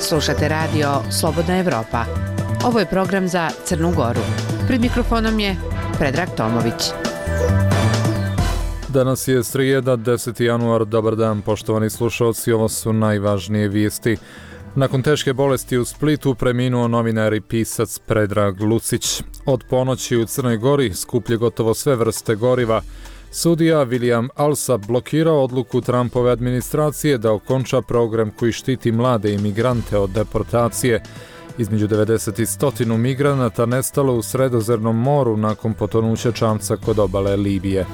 Slušate radio Slobodna Evropa. Ovo je program za Crnu Goru. Pred mikrofonom je Predrag Tomović. Danas je srijeda, 10. januar. Dobar dan, poštovani slušalci. Ovo su najvažnije vijesti. Nakon teške bolesti u Splitu preminuo novinar i pisac Predrag Lucić. Od ponoći u Crnoj Gori skuplje gotovo sve vrste goriva. Sudija William Alsop blokirao odluku Trumpove administracije da okonča program koji štiti mlade imigrante od deportacije. Između 90 i 100 migranata nestalo u Sredozemnom moru nakon potonuća čamca kod obale Libije.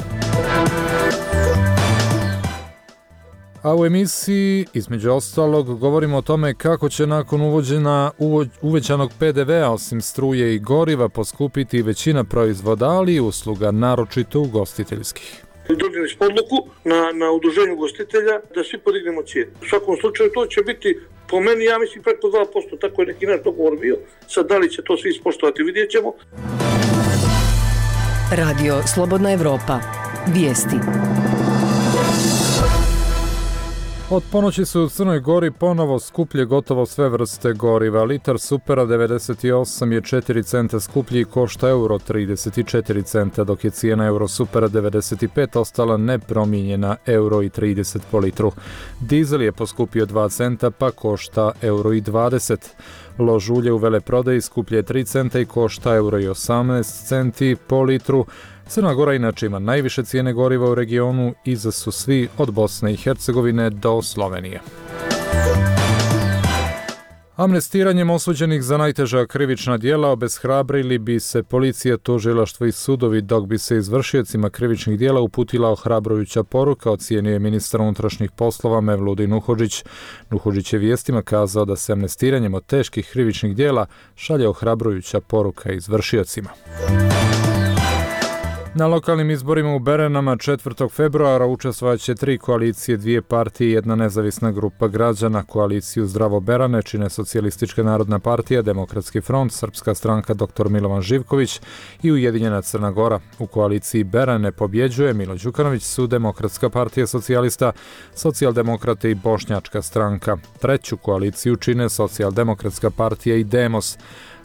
A u emisiji, između ostalog, govorimo o tome kako će nakon uvećanog PDV-a osim struje i goriva poskupiti većina proizvoda, ali i usluga, naročito ugostiteljskih. Donijeli smo odluku na udruženju ugostitelja da svi podignemo cijenu. U svakom slučaju to će biti, po meni, ja mislim, preko 2%, tako je neki naš dogovor bio. Sad da li će to svi ispoštovati, vidjet ćemo. Radio Slobodna Evropa. Vijesti. Od ponoći su u Crnoj Gori ponovo skuplje gotovo sve vrste goriva. Litar supera 98 je 4 centa skuplji i košta euro 34 centa, dok je cijena euro supera 95 ostala nepromijenjena, euro i 30 po litru. Dizel je poskupio 2 centa pa košta euro i 20. Lož ulje u veleprodaji skuplje je 3 centa i košta euro i 18 centi po litru. Crna Gora inače ima najviše cijene goriva u regionu, iza su svi od Bosne i Hercegovine do Slovenije. Amnestiranjem osuđenih za najteža krivična djela obeshrabrili bi se policija, tužilaštvo i sudovi, dok bi se izvršiocima krivičnih djela uputila ohrabrujuća poruka, ocijenio je ministar unutrašnjih poslova Mevludin Nuhodžić. Nuhodžić je vijestima kazao da se amnestiranjem od teških krivičnih djela šalje ohrabrujuća poruka izvršiocima. Na lokalnim izborima u Beranama 4. februara učestvovaće 3 koalicije, 2 partije i 1 nezavisna grupa građana. Koaliciju Zdravo Berane čine Socijalistička narodna partija, Demokratski front, Srpska stranka dr. Milovan Živković i Ujedinjena Crna Gora. U koaliciji Berane pobjeđuje Milo Đukanović su Demokratska partija socijalista, Socijaldemokrate i Bošnjačka stranka. Treću koaliciju čine Socijaldemokratska partija i Demos.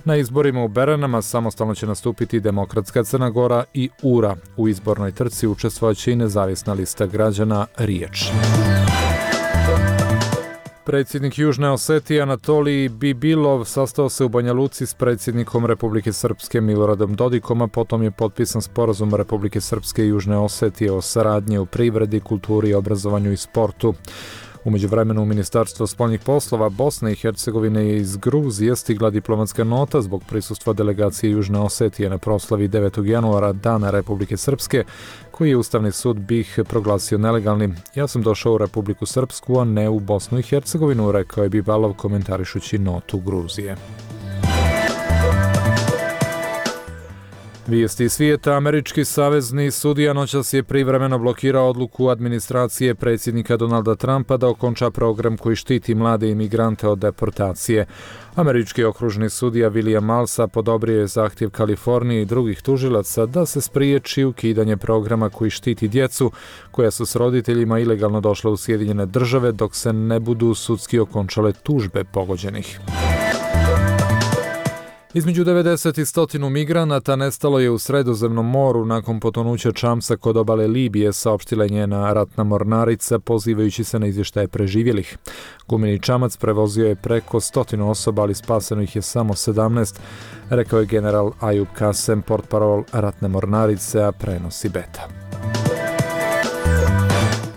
Na izborima u Beranama samostalno će nastupiti Demokratska Crna Gora i URA. U izbornoj trci učestvovaće i nezavisna lista građana Riječ. Predsjednik Južne Osetije Anatolij Bibilov sastao se u Banja Luci s predsjednikom Republike Srpske Miloradom Dodikom, a potom je potpisan sporazum Republike Srpske i Južne Osetije o saradnji u privredi, kulturi, obrazovanju i sportu. U međuvremenu u Ministarstvo spoljnih poslova Bosne i Hercegovine je iz Gruzije stigla diplomatska nota zbog prisustva delegacije Južne Osetije na proslavi 9. januara Dana Republike Srpske, koji je Ustavni sud BiH proglasio nelegalnim. Ja sam došao u Republiku Srpsku, a ne u Bosnu i Hercegovinu, rekao je Bibalov komentarišući notu Gruzije. Vijesti svijeta. Američki savezni sudija noćas je privremeno blokirao odluku administracije predsjednika Donalda Trumpa da okonča program koji štiti mlade imigrante od deportacije. Američki okružni sudija William Alsop odobrio je zahtjev Kalifornije i drugih tužilaca da se spriječi ukidanje programa koji štiti djecu koja su s roditeljima ilegalno došla u Sjedinjene Države dok se ne budu sudski okončale tužbe pogođenih. Između 90 i 100 migranata nestalo je u Sredozemnom moru nakon potonuća čamca kod obale Libije, saopštila je njena ratna mornarica pozivajući se na izvještaje preživjelih. Gumeni čamac prevozio je preko 100 osoba, ali spaseno ih je samo 17, rekao je general Ayub Kasem, portparol ratne mornarice, a prenosi Beta.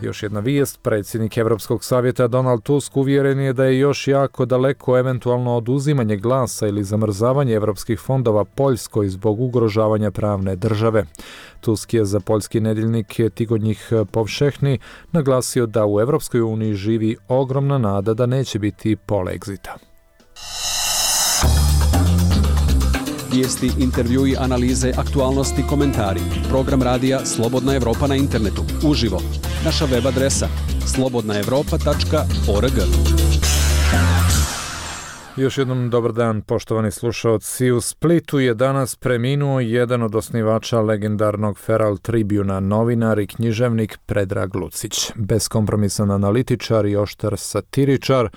Još jedna vijest, predsjednik Europskog savjeta Donald Tusk uvjeren je da je još jako daleko eventualno oduzimanje glasa ili zamrzavanje europskih fondova Poljskoj zbog ugrožavanja pravne države. Tusk je za poljski nedjeljnik Tygodnik Powszechny naglasio da u Europskoj uniji živi ogromna nada da neće biti polexita. Vijesti, intervjui, analize, aktualnosti, komentari. Program radija Slobodna Evropa na internetu. Uživo. Naša web adresa slobodnaevropa.org. Još jednom dobar dan, poštovani slušaoci. U Splitu je danas preminuo jedan od osnivača legendarnog Feral Tribuna, novinar i književnik Predrag Lucić. Beskompromisan analitičar i oštar satiričar,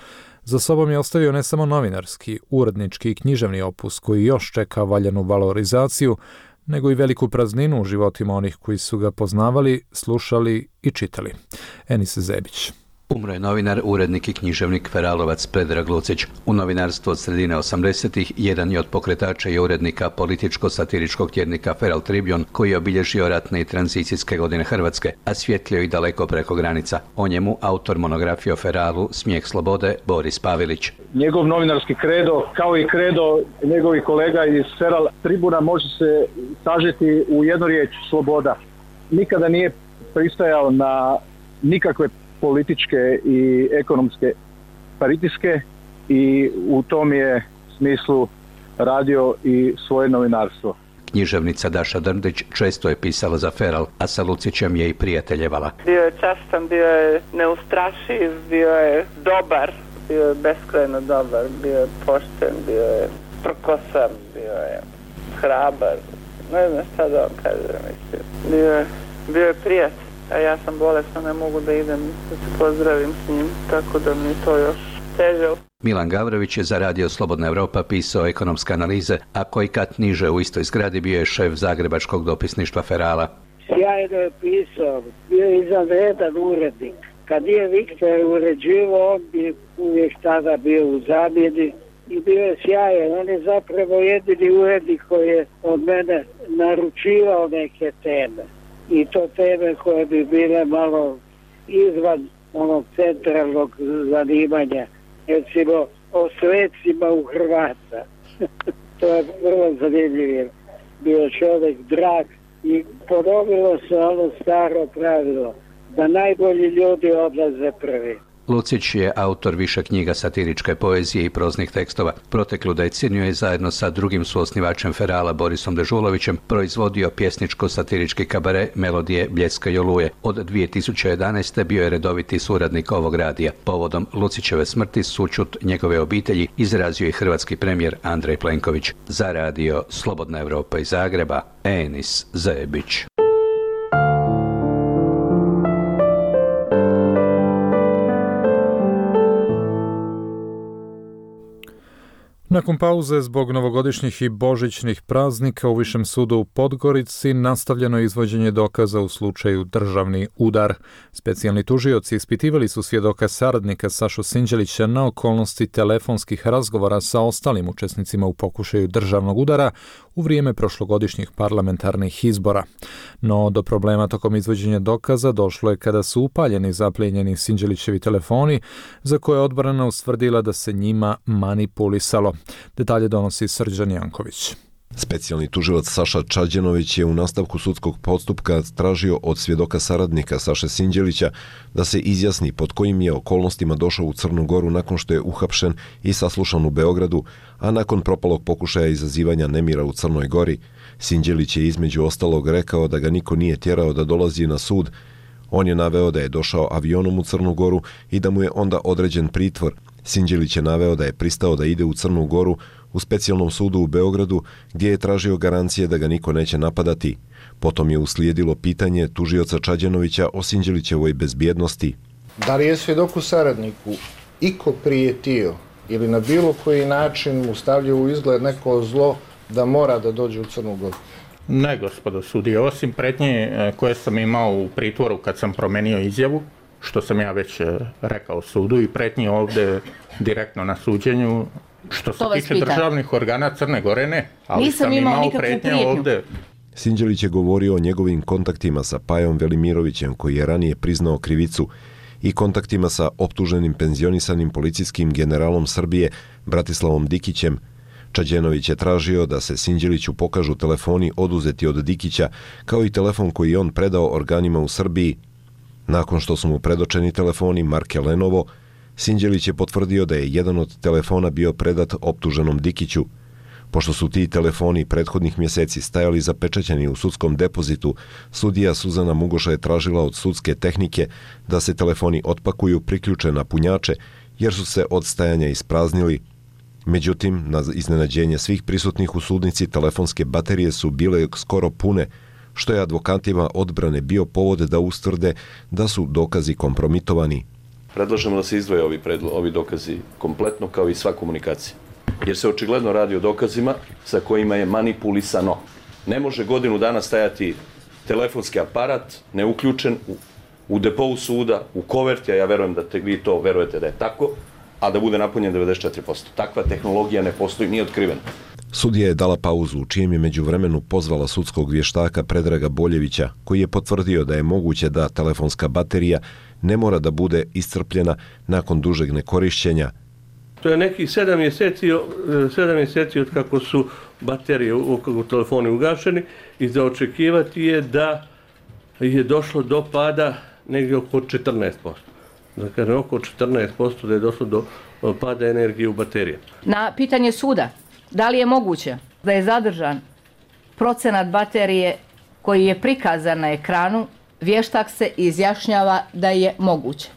Za sobom je ostavio ne samo novinarski, urednički i književni opus koji još čeka valjanu valorizaciju, nego i veliku prazninu u životima onih koji su ga poznavali, slušali i čitali. Enis Zebić. Umro je novinar, urednik i književnik Feralovac Predrag Lucić. U novinarstvu od sredine 80-ih jedan je od pokretača i urednika političko-satiričkog tjednika Feral Tribune, koji je obilježio ratne i tranzicijske godine Hrvatske, a svjetlio i daleko preko granica. O njemu autor monografije o Feralu Smijeh slobode Boris Pavelić. Njegov novinarski kredo, kao i kredo njegovih kolega iz Feral Tribuna, može se sažeti u jednu riječ: sloboda. Nikada nije pristajao na nikakve političke i ekonomske pritiske i u tom je smislu radio i svoje novinarstvo. Književnica Daša Drndić često je pisala za Feral, a sa Lucićem je i prijateljevala. Bio je častan, bio je neustrašiv, bio je dobar, bio je beskrajno dobar, bio je pošten, bio je prkosan, bio je hrabar. Ne znam šta da vam kažem, mislim. Bio je prijatelj. A ja sam bolesna, ne mogu da idem da se pozdravim s njim, tako da mi je to još teže. Milan Gavrović je za Radio Slobodna Evropa pisao ekonomske analize, a koji kat niže u istoj zgradi bio je šef zagrebačkog dopisništva Ferala. Sjajno je pisao, bio je izvanredan urednik. Kad je Viktor uređivao, on bi uvijek tada bio u zamjeni i bio je sjajan. On je zapravo jedini urednik koji je od mene naručivao neke teme. I to teme koje bi bile malo izvan onog centralnog zanimanja. Recimo o svecima u Hrvata. To je vrlo zanimljivo. Bio čovjek drag i ponovilo se ono staro pravilo da najbolji ljudi odlaze prvi. Lucić je autor više knjiga satiričke poezije i proznih tekstova. Proteklu deceniju je zajedno sa drugim suosnivačem Ferala Borisom Dežulovićem proizvodio pjesničko-satirički kabare Melodije, Bljeska i Oluje. Od 2011. bio je redoviti suradnik ovog radija. Povodom Lucićeve smrti sućut njegove obitelji izrazio i hrvatski premijer Andrej Plenković. Za Radio Slobodna Evropa iz Zagreba, Enis Zebić. Nakon pauze zbog novogodišnjih i božićnih praznika u Višem sudu u Podgorici nastavljeno je izvođenje dokaza u slučaju državni udar. Specijalni tužioci ispitivali su svjedoka saradnika Sašu Sinđelića na okolnosti telefonskih razgovora sa ostalim učesnicima u pokušaju državnog udara u vrijeme prošlogodišnjih parlamentarnih izbora. No, do problema tokom izvođenja dokaza došlo je kada su upaljeni i zaplijenjeni Sinđelićevi telefoni, za koje je odbrana ustvrdila da se njima manipulisalo. Detalje donosi Srđan Janković. Specijalni tužilac Saša Čađenović je u nastavku sudskog postupka tražio od svjedoka saradnika Saše Sinđelića da se izjasni pod kojim je okolnostima došao u Crnu Goru nakon što je uhapšen i saslušan u Beogradu, a nakon propalog pokušaja izazivanja nemira u Crnoj Gori. Sinđelić je između ostalog rekao da ga niko nije tjerao da dolazi na sud. On je naveo da je došao avionom u Crnu Goru i da mu je onda određen pritvor. Sinđelić je naveo da je pristao da ide u Crnu Goru u specijalnom sudu u Beogradu gdje je tražio garancije da ga niko neće napadati. Potom je uslijedilo pitanje tužioca Čađenovića o Sinđelićevoj bezbjednosti. Da li je svjedoku saradniku iko prijetio ili na bilo koji način mu stavljao u izgled neko zlo da mora da dođe u Crnu Goru? Ne, gospodo sudije, osim pretnje koje sam imao u pritvoru kad sam promenio izjavu, što sam ja već rekao sudu, i pretnje ovdje direktno na suđenju, što se tiče državnih organa Crne Gore, ne. Ali nisam sam imao pretnje ovdje. Sinđelić je govorio o njegovim kontaktima sa Pajom Velimirovićem, koji je ranije priznao krivicu, i kontaktima sa optuženim penzionisanim policijskim generalom Srbije Bratislavom Dikićem. Čađenović je tražio da se Sinđeliću pokažu telefoni oduzeti od Dikića, kao i telefon koji je on predao organima u Srbiji. Nakon što su mu predočeni telefoni marke Lenovo, Sinđelić je potvrdio da je jedan od telefona bio predat optuženom Dikiću. Pošto su ti telefoni prethodnih mjeseci stajali zapečaćeni u sudskom depozitu, sudija Suzana Mugoša je tražila od sudske tehnike da se telefoni otpakuju, priključe na punjače, jer su se od stajanja ispraznili. Međutim, na iznenađenje svih prisutnih u sudnici, telefonske baterije su bile skoro pune, što je advokatima odbrane bio povod da ustvrde da su dokazi kompromitovani. predlažemo da se izdvoje ovi dokazi kompletno kao i sva komunikacija. Jer se očigledno radi o dokazima sa kojima je manipulisano. Ne može godinu dana stajati telefonski aparat neuključen u depou suda, u koverti, a ja verujem da vi to verujete da je tako, a da bude napunjen 94%. Takva tehnologija ne postoji, nije otkrivena. Sudija je dala pauzu u čijem je međuvremenu pozvala sudskog vještaka Predraga Boljevića, koji je potvrdio da je moguće da telefonska baterija ne mora da bude iscrpljena nakon dužeg nekorišćenja. To je nekih 7 mjeseci od kako su baterije u telefonu ugašeni i za očekivati je da je došlo do pada negdje oko 14%. Dakle, oko 14% da je došlo do pada energije u baterije. Na pitanje suda, da li je moguće da je zadržan procenat baterije koji je prikazan na ekranu, vještak se izjašnjava da je moguće.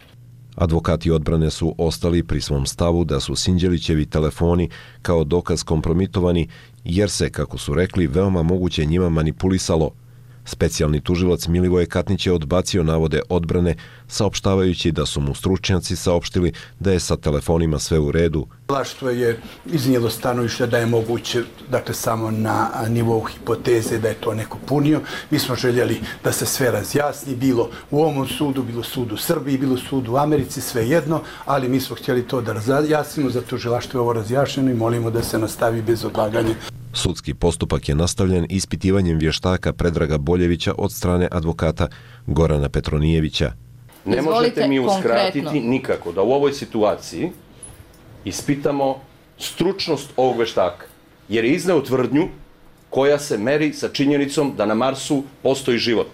Advokati odbrane su ostali pri svom stavu da su Sinđelićevi telefoni kao dokaz kompromitovani jer se, kako su rekli, veoma moguće njima manipulisalo. Specijalni tužilac Milivoje Katnić je odbacio navode odbrane, saopštavajući da su mu stručnjaci saopštili da je sa telefonima sve u redu. Tužilaštvo je iznijelo stanovište da je moguće, dakle samo na nivou hipoteze da je to neko punio. Mi smo željeli da se sve razjasni, bilo u ovom sudu, bilo sudu u Srbiji, bilo sudu u Americi, sve jedno, ali mi smo htjeli to da razjasnimo, za tužilaštvo je ovo razjašnjeno i molimo da se nastavi bez odlaganja. Sudski postupak je nastavljen ispitivanjem vještaka Predraga Boljevića od strane advokata Gorana Petronijevića. Ne možete mi uskratiti nikako da u ovoj situaciji ispitamo stručnost ovog vještaka, jer je izneo tvrdnju koja se meri sa činjenicom da na Marsu postoji život.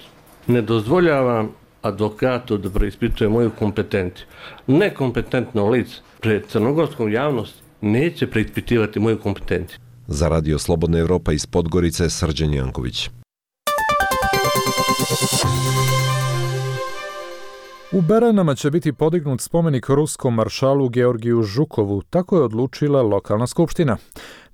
Ne dozvoljavam advokatu da preispituje moju kompetenciju. Nekompetentno lice pred crnogorskom javnosti neće preispitivati moju kompetenciju. Za Radio Slobodna Evropa iz Podgorice, Srđan Janković. U Beranama će biti podignut spomenik ruskom maršalu Georgiju Žukovu, tako je odlučila lokalna skupština.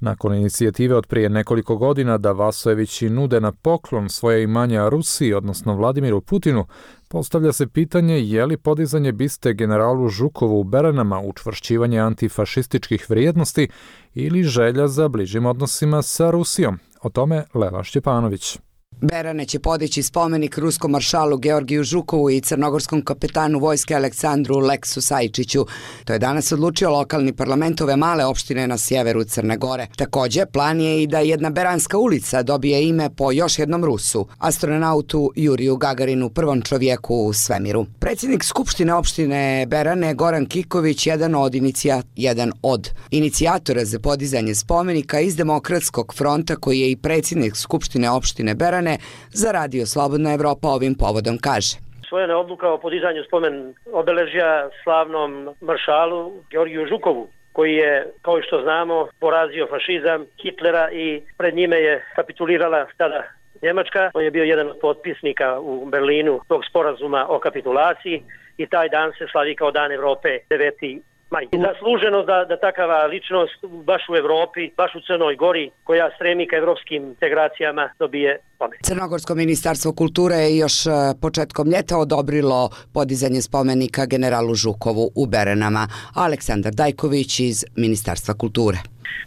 Nakon inicijative od prije nekoliko godina da Vasojevići nude na poklon svoje imanja Rusiji, odnosno Vladimiru Putinu, postavlja se pitanje je li podizanje biste generalu Žukovu u Beranama učvršćivanje antifašističkih vrijednosti ili želja za bližim odnosima sa Rusijom. O tome Lela Šćepanović. Berane će podići spomenik ruskom maršalu Georgiju Žukovu i crnogorskom kapetanu vojske Aleksandru Leksu Sajčiću. To je danas odlučio lokalni parlament ove male opštine na sjeveru Crne Gore. Također, plan je i da jedna beranska ulica dobije ime po još jednom Rusu, astronautu Juriju Gagarinu, prvom čovjeku u svemiru. Predsjednik Skupštine opštine Berane Goran Kiković, jedan od inicijatora za podizanje spomenika iz Demokratskog fronta, koji je i predsjednik Skupštine opštine Berane, za Radio Slobodna Evropa ovim povodom kaže. Usvojena je odluka o podizanju spomen obeležja slavnom maršalu Georgiju Žukovu, koji je, kao što znamo, porazio fašizam Hitlera i pred njime je kapitulirala tada Njemačka. On je bio jedan od potpisnika u Berlinu tog sporazuma o kapitulaciji i taj dan se slavi kao Dan Evrope 9. maj. Zasluženo da takava ličnost baš u Evropi, baš u Crnoj Gori, koja stremi ka evropskim integracijama, dobije spomenik. Crnogorsko ministarstvo kulture je još početkom ljeta odobrilo podizanje spomenika generalu Žukovu u Beranama. Aleksandar Dajković iz Ministarstva kulture.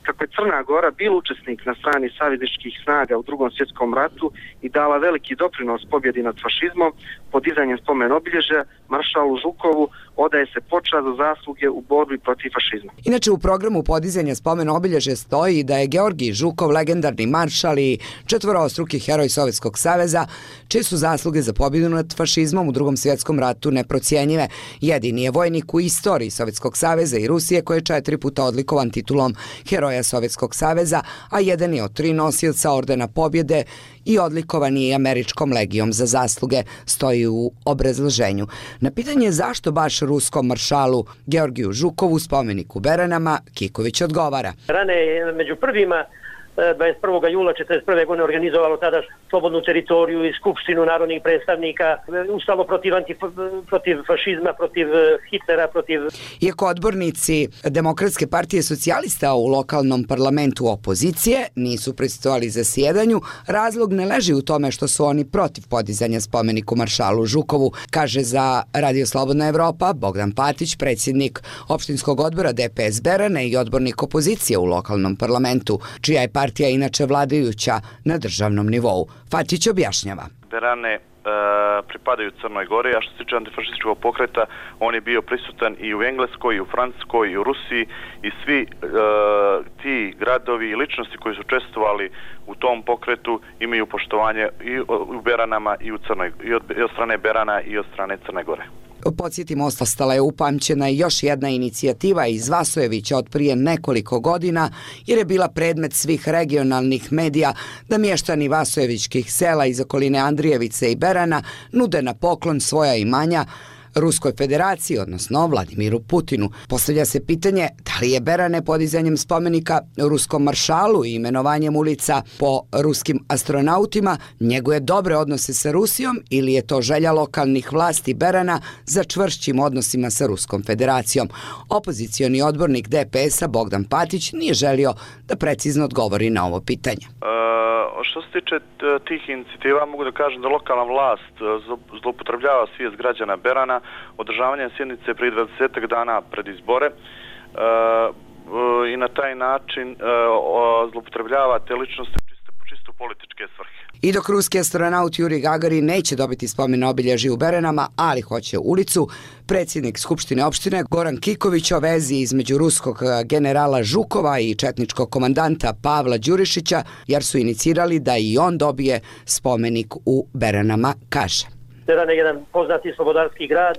Kako je Crna Gora bila učesnik na strani savezničkih snaga u Drugom svjetskom ratu i dala veliki doprinos pobjedi nad fašizmom, podizanjem spomen obilježja maršalu Žukovu odaje se počast za zasluge u borbi protiv fašizma. Inače, u programu podizanja spomen obilježja stoji da je Georgij Žukov legendarni maršal i četvorostruki heroj Sovjetskog saveza, čije su zasluge za pobjedu nad fašizmom u Drugom svjetskom ratu neprocjenjive. Jedini je vojnik u istoriji Sovjetskog saveza i Rusije koji je 4 puta odlikovan titulom Heroja Sovjetskog saveza, a jedan je od 3 nosioca ordena pobjede i odlikovan je američkom legijom za zasluge, stoji u obrazloženju. Na pitanje zašto baš ruskom maršalu Georgiju Žukovu spomenik u Beranama, Kiković odgovara. Berane je među prvima 21. jula 1941. godine organizovalo tada slobodnu teritoriju i skupštinu narodnih predstavnika, ustalo protiv fašizma, protiv Hitlera, protiv... Iako odbornici Demokratske partije socijalista u lokalnom parlamentu opozicije nisu prisustvovali zasjedanju, razlog ne leži u tome što su oni protiv podizanja spomeniku maršalu Žukovu, kaže za Radio Slobodna Evropa Bogdan Patić, predsjednik opštinskog odbora DPS Berane i odbornik opozicije u lokalnom parlamentu, čija je partija inače vladajuća na državnom nivou. Patić objašnjava. Berane pripadaju Crnoj Gori, a što se tiče antifašističkog pokreta, on je bio prisutan i u Engleskoj, i u Francuskoj, i u Rusiji, i svi ti gradovi i ličnosti koji su učestvovali u tom pokretu imaju poštovanje i u Beranama i od strane Berana i od strane Crne Gore. Podsjetimo, ostala je upamćena i još jedna inicijativa iz Vasojevića od prije nekoliko godina, jer je bila predmet svih regionalnih medija da mještani vasojevičkih sela iz okoline Andrijevice i Berana nude na poklon svoja imanja Ruskoj federaciji, odnosno Vladimiru Putinu. Postavlja se pitanje da li je Berane podizanjem spomenika ruskom maršalu i imenovanjem ulica po ruskim astronautima njeguje dobre odnose sa Rusijom ili je to želja lokalnih vlasti Berana za čvršćim odnosima sa Ruskom federacijom. Opozicioni odbornik DPS-a Bogdan Patić nije želio da precizno odgovori na ovo pitanje. Što se tiče tih inicijativa, mogu da kažem da lokalna vlast zloupotrebljava svijest građana Berana održavanjem sjednice prije 20 dana pred izbore i na taj način zloupotrebljava te ličnosti čisto političke svrhe. I dok ruski astronaut Juri Gagarin neće dobiti spomen obilježje u Beranama, ali hoće ulicu, predsjednik Skupštine opštine Goran Kiković o vezi između ruskog generala Žukova i četničkog komandanta Pavla Đurišića, jer su inicirali da i on dobije spomenik u Beranama, kaže. Beran je jedan poznati slobodarski grad,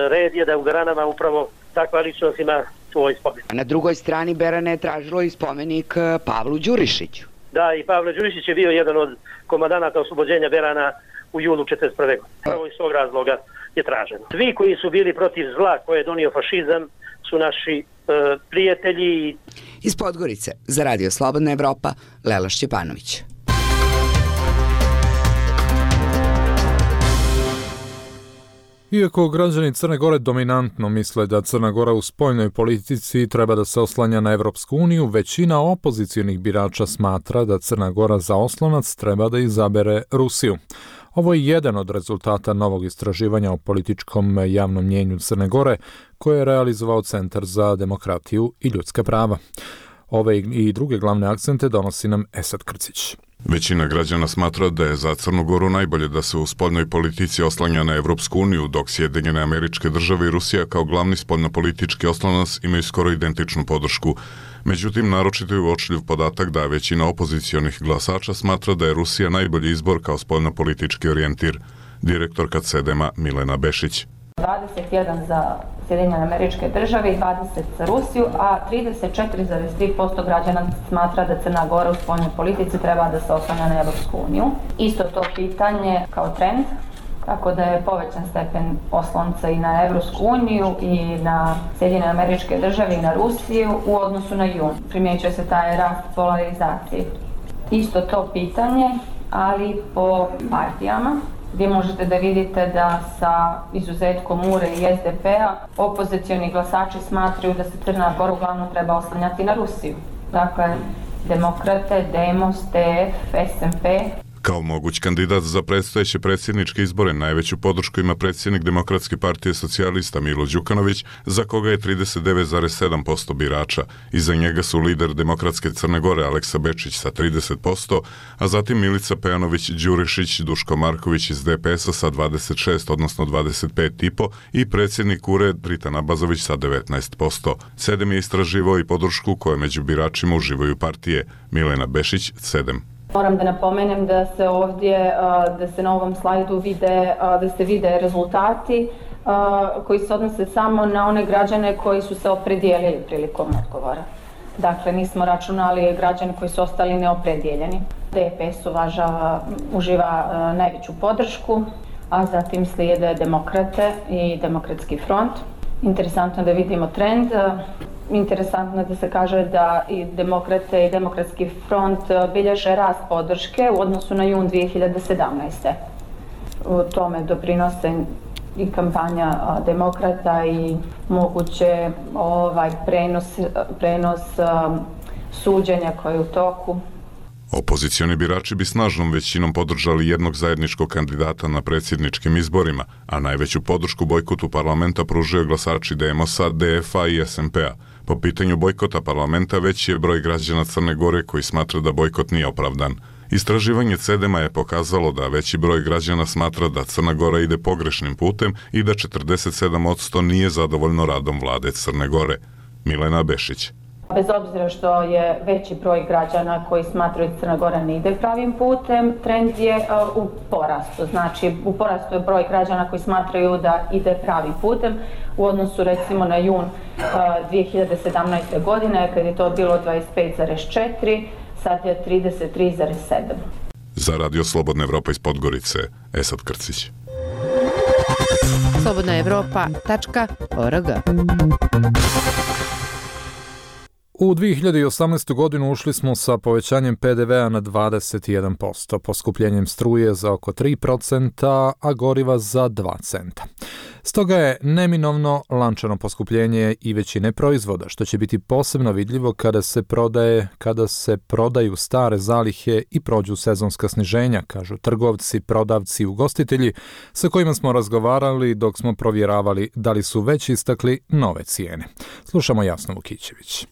red je da u Beranama upravo takva ličnost ima svoj spomenik. Na drugoj strani Berane je tražilo i spomenik Pavlu Đurišiću. Da, i Pavle Đurišić je bio jedan od komandanata oslobođenja Berana u julu 1941. godine. Prvo iz tog razloga je traženo. Svi koji su bili protiv zla koje je donio fašizam su naši prijatelji. Iz Podgorice za Radio Slobodna Evropa, Lela Šćepanović. Iako građani Crne Gore dominantno misle da Crna Gora u spoljnoj politici treba da se oslanja na Evropsku uniju, većina opozicionih birača smatra da Crna Gora za oslonac treba da izabere Rusiju. Ovo je jedan od rezultata novog istraživanja o političkom javnom mnjenju Crne Gore koje je realizovao Centar za demokratiju i ljudska prava. Ove i druge glavne akcente donosi nam Esad Krcić. Većina građana smatra da je za Crnu Goru najbolje da se u spoljnoj politici oslanja na Evropsku uniju, dok Sjedinjene Američke Države i Rusija kao glavni spoljnopolitički oslonac imaju skoro identičnu podršku. Međutim, naročito je uočljiv podatak da većina opozicionih glasača smatra da je Rusija najbolji izbor kao spoljnopolitički orijentir. Direktorka CEDEM-a Milena Bešić. 21 za Sjedinjene Američke Države i 20 za Rusiju, a 34,3% građana smatra da Crna Gora u spoljnoj politici treba da se oslanja na Evropsku uniju. Isto to pitanje kao trend, tako da je povećan stepen oslonca i na Evropsku uniju i na Sjedinjene Američke Države i na Rusiju u odnosu na jun. Primjećuje se taj rast polarizacije. Isto to pitanje, ali po partijama, gdje možete da vidite da sa izuzetkom URE i SDP-a opozicioni glasači smatraju da se Crna Gora uglavnom treba oslanjati na Rusiju. Dakle, Demokrate, Demos, TF, SMP. Kao moguć kandidat za predstojeće predsjedničke izbore najveću podršku ima predsjednik Demokratske partije socijalista Milo Đukanović, za koga je 39,7% birača. Iza njega su lider Demokratske Crne Gore Aleksa Bečić sa 30%, a zatim Milica Pejanović Đurišić, Duško Marković iz DPS-a sa 26, odnosno 25,5% i predsjednik URE Dritan Abazović sa 19%. CEDEM je istraživao i podršku koje među biračima uživaju partije. Milena Bešić, CEDEM. Moram da napomenem da se ovdje, da se na ovom slajdu vide, da se vide rezultati koji se odnose samo na one građane koji su se opredijelili prilikom odgovora. Dakle, nismo računali građane koji su ostali neopredijeljeni. DPS uživa najveću podršku, a zatim slijede Demokrate i Demokratski front. Interesantno da vidimo trend. Interesantno je da se kaže da i demokrate i demokratski front bilježe rast podrške u odnosu na jun 2017. U tome doprinose i kampanja demokrata i moguće prenos suđenja koje je u toku. Opozicioni birači bi snažnom većinom podržali jednog zajedničkog kandidata na predsjedničkim izborima, a najveću podršku bojkotu parlamenta pružaju glasači Demosa, DF-a i SMP-a. Po pitanju bojkota parlamenta veći je broj građana Crne Gore koji smatra da bojkot nije opravdan. Istraživanje CEDEM-a je pokazalo da veći broj građana smatra da Crna Gora ide pogrešnim putem i da 47% nije zadovoljno radom vlade Crne Gore. Milena Bešić. Bez obzira što je veći broj građana koji smatraju da Crna Gora ne ide pravim putem, trend je u porastu. Znači, u porastu je broj građana koji smatraju da ide pravim putem u odnosu recimo na jun 2017. godine, kad je to bilo 25,4, sad je 33,7. Za Radio Slobodna Evropa iz Podgorice, Esad Krcić. slobodnaevropa.org. U 2018. godinu ušli smo sa povećanjem PDV-a na 21%, poskupljenjem struje za oko 3%, a goriva za 2 centa. Stoga je neminovno lančano poskupljenje i većine proizvoda, što će biti posebno vidljivo kada se prodaju stare zalihe i prođu sezonska sniženja, kažu trgovci, prodavci i ugostitelji sa kojima smo razgovarali dok smo provjeravali da li su već istakli nove cijene. Slušamo Jasnu Vukićević.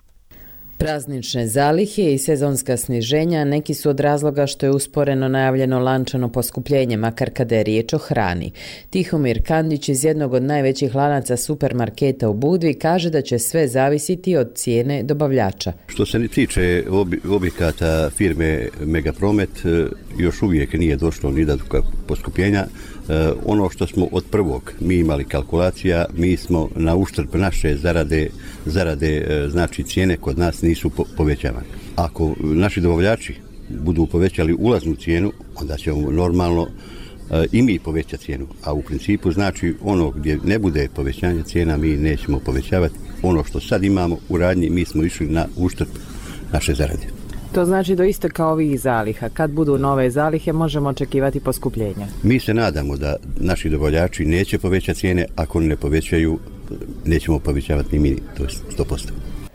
Praznične zalihe i sezonska sniženja neki su od razloga što je usporeno najavljeno lančano poskupljenje, makar kada je riječ o hrani. Tihomir Kandić iz jednog od najvećih lanaca supermarketa u Budvi kaže da će sve zavisiti od cijene dobavljača. Što se tiče objekata firme Megapromet, još uvijek nije došlo ni do poskupljenja. Ono što smo od prvog mi imali kalkulacija, mi smo na uštrb naše zarade, znači cijene kod nas nisu povećavane. Ako naši dobavljači budu povećali ulaznu cijenu, onda ćemo normalno i mi povećati cijenu. A u principu znači ono gdje ne bude povećanje cijena mi nećemo povećavati. Ono što sad imamo u radnji mi smo išli na uštrb naše zarade. To znači do isteka ovih zaliha. Kad budu nove zalihe možemo očekivati poskupljenja. Mi se nadamo da naši dobavljači neće povećati cijene, ako ne povećaju nećemo povećavati ni mi, to je 100%.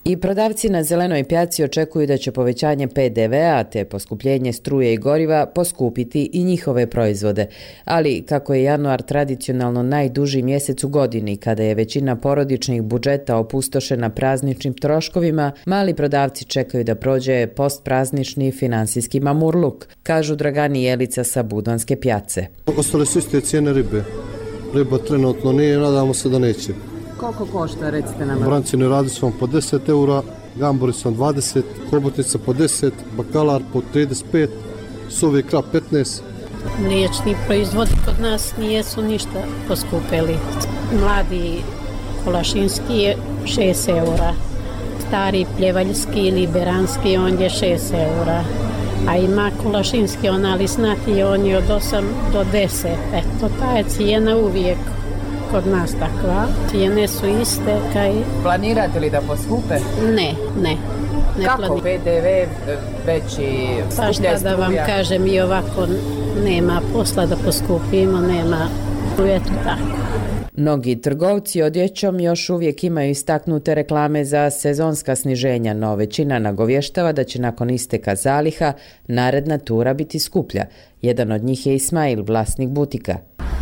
I prodavci na zelenoj pijaci očekuju da će povećanje PDV-a te poskupljenje struje i goriva poskupiti i njihove proizvode. Ali kako je januar tradicionalno najduži mjesec u godini, kada je većina porodičnih budžeta opustošena prazničnim troškovima, mali prodavci čekaju da prođe postpraznični finansijski mamurluk, kažu Dragani Jelica sa Budvanske pijace. Ostale su iste cijene ribe. Riba trenutno nije, nadamo se da neće. Koliko košta, recite nam? Brancine radi su vam po 10 eura, gamburi su vam 20, hobotnica po 10, bakalar po 35, suvi krap 15. Mliječni proizvodi kod nas nijesu ništa poskupili. Mladi kolašinski je 6 eura, stari pljevaljski ili beranski on je 6 eura. A ima kolašinski, ona lisnati, on je od 8 do 10. Eto, ta je cijena uvijek kod nas takva. Cijene su iste. Planirate li da poskupe? Ne. Kako PDV veći skuplja struja? Pa šta da vam kažem, i ovako nema posla da poskupimo, nema. Eto tako. Mnogi trgovci odjećom još uvijek imaju istaknute reklame za sezonska sniženja, no većina nagovještava da će nakon isteka zaliha naredna tura biti skuplja. Jedan od njih je Ismail, vlasnik butika.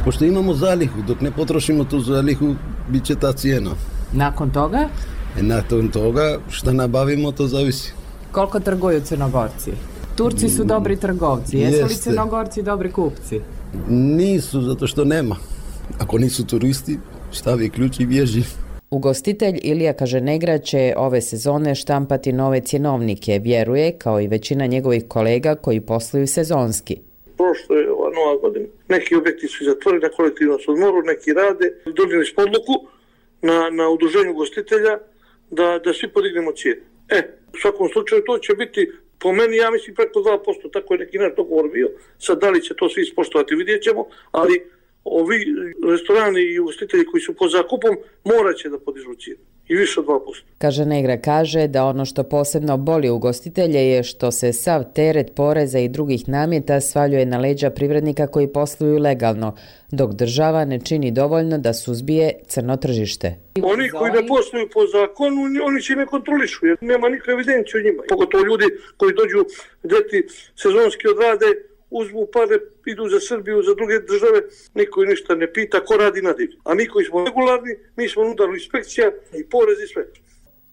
Pošto imamo zalihu, dok ne potrošimo tu zalihu, bit će ta cijena. Nakon toga? Nakon toga, šta nabavimo, to zavisi. Koliko trguju Crnogorci? Turci su dobri trgovci, jesu li Crnogorci dobri kupci? Nisu, zato što nema. Ako nisu turisti, stavi ključ i bježi. Ugostitelj Ilija Kaženegra će ove sezone štampati nove cjenovnike, vjeruje, kao i većina njegovih kolega koji posluju sezonski. Prošlo je ova nova godina. Neki objekti su zatvoreni na kolektivnom odmoru, neki rade. Donijeli smo odluku na udruženju ugostitelja da svi podignemo cijene. U svakom slučaju to će biti, po meni, ja mislim, preko 2%, tako je neki naš dogovor bio. Sad da li će to svi ispoštovati, vidjet ćemo, ali ovi restorani i ugostitelji koji su pod zakupom morat će da podižu cijenu i više od 2%. Kaže Negra kaže da ono što posebno boli ugostitelje je što se sav teret poreza i drugih nameta svaljuje na leđa privrednika koji posluju legalno, dok država ne čini dovoljno da suzbije crno tržište. Oni koji ne posluju po zakonu, oni će ne kontrolišu, jer nema nikakve evidencije o njima. Pogotovo ljudi koji dođu deti sezonski odrade, uzmu pare, idu za Srbiju, za druge države, niko ništa ne pita, ko radi na divlju. A mi koji smo regularni, mi smo na udaru inspekcija i porez i sve.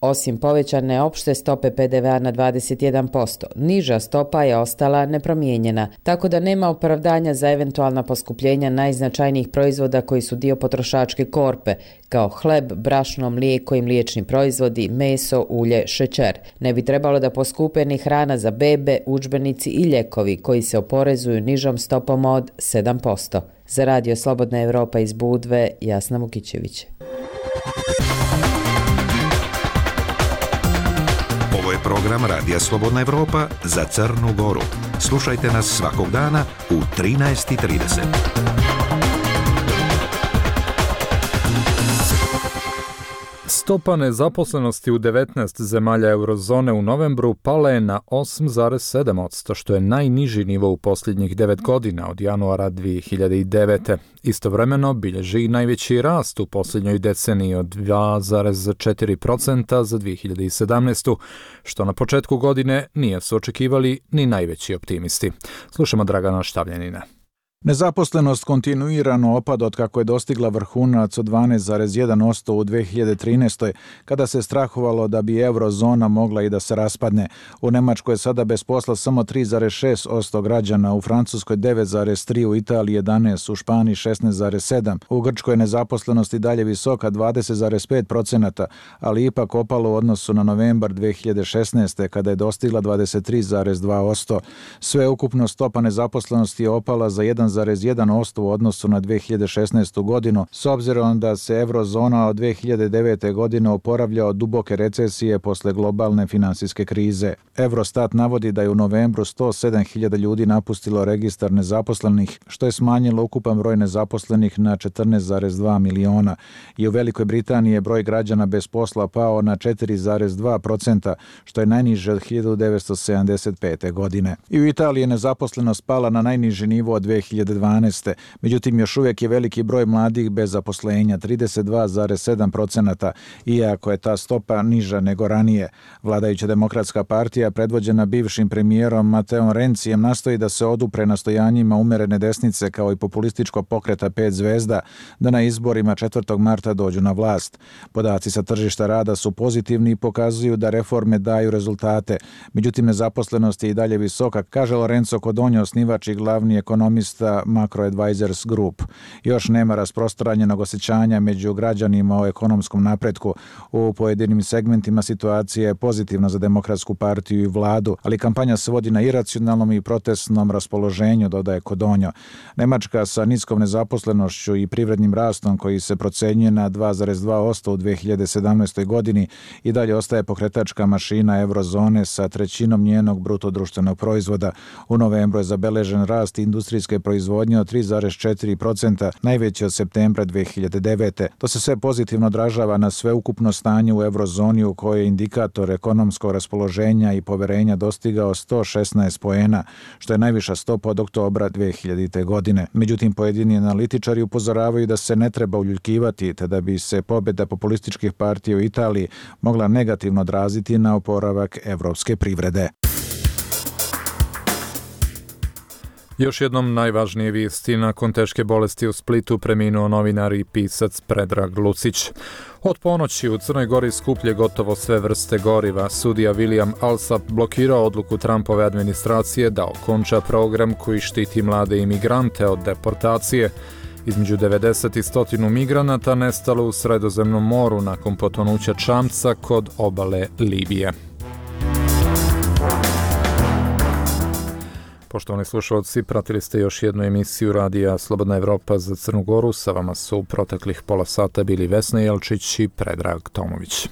Osim povećane opšte stope PDV-a na 21%, niža stopa je ostala nepromijenjena, tako da nema opravdanja za eventualna poskupljenja najznačajnijih proizvoda koji su dio potrošačke korpe, kao hleb, brašno, mlijeko i mliječni proizvodi, meso, ulje, šećer. Ne bi trebalo da poskupe ni hrana za bebe, udžbenici i ljekovi koji se oporezuju nižom stopom od 7%. Za Radio Slobodna Evropa iz Budve, Jasna Vukićević. Ovo je program Radija Slobodna Evropa za Crnu Goru. Slušajte nas svakog dana u 13:30. Stopa nezaposlenosti u 19 zemalja eurozone u novembru pala je na 8,7%, što je najniži nivo u posljednjih 9 godina od januara 2009. Istovremeno bilježi i najveći rast u posljednjoj deceniji od 2,4% za 2017. što na početku godine nije su očekivali ni najveći optimisti. Slušamo Dragana Štavljanina. Nezaposlenost kontinuirano opada od kako je dostigla vrhunac od 12,1% u 2013. kada se strahovalo da bi eurozona mogla i da se raspadne. U Nemačkoj je sada bez posla samo 3,6% građana, u Francuskoj 9,3%, u Italiji 11%, u Španiji 16,7%. U Grčkoj je nezaposlenost i dalje visoka 20,5%, ali ipak opalo u odnosu na novembar 2016. kada je dostigla 23,2%. Sveukupno stopa nezaposlenosti je opala za 1,1% u odnosu na 2016. godinu, s obzirom da se eurozona od 2009. godine oporavlja od duboke recesije posle globalne finansijske krize. Eurostat navodi da je u novembru 107.000 ljudi napustilo registar nezaposlenih, što je smanjilo ukupan broj nezaposlenih na 14,2 miliona. I u Velikoj Britaniji je broj građana bez posla pao na 4,2%, što je najniže od 1975. godine. I u Italiji je nezaposlenost pala na najniži nivo od 2012. Međutim, još uvijek je veliki broj mladih bez zaposlenja, 32,7%, iako je ta stopa niža nego ranije. Vladajuća Demokratska partija, predvođena bivšim premijerom Mateom Rencijem, nastoji da se odupre nastojanjima umerene desnice kao i populističkog pokreta 5 zvezda da na izborima 4. marta dođu na vlast. Podaci sa tržišta rada su pozitivni i pokazuju da reforme daju rezultate. Međutim, nezaposlenost je i dalje visoka, kaže Lorenzo Codogno, osnivač i glavni ekonomista Macro Advisors Group. Još nema rasprostranjenog osjećanja među građanima o ekonomskom napretku. U pojedinim segmentima situacija je pozitivna za Demokratsku partiju i vladu, ali kampanja se vodi na iracionalnom i protestnom raspoloženju, dodaje Codogno. Nemačka sa niskom nezaposlenošću i privrednim rastom koji se procenjuje na 2,2% u 2017. godini i dalje ostaje pokretačka mašina eurozone sa trećinom njenog bruto društvenog proizvoda. U novembru je zabeležen rast industrijske proizvodnje od 3,4%, najveći od septembra 2009. To se sve pozitivno odražava na sveukupno stanje u eurozoni u kojoj je indikator ekonomskog raspoloženja i poverenja dostigao 116 poena, što je najviša stopa od oktobra 2000. godine. Međutim, pojedini analitičari upozoravaju da se ne treba uljuljkivati, te da bi se pobjeda populističkih partija u Italiji mogla negativno odraziti na oporavak evropske privrede. Još jednom najvažnije vijesti: nakon teške bolesti u Splitu preminuo novinar i pisac Predrag Lucić. Od ponoći u Crnoj Gori skuplje gotovo sve vrste goriva. Sudija William Alsop blokirao odluku Trumpove administracije da okonča program koji štiti mlade imigrante od deportacije. Između 90 i 100 migranata nestalo u Sredozemnom moru nakon potonuća čamca kod obale Libije. Poštovani slušalci, pratili ste još jednu emisiju Radija Slobodna Evropa za Crnu Goru. Sa vama su u proteklih pola sata bili Vesna Jelčić i Predrag Tomović.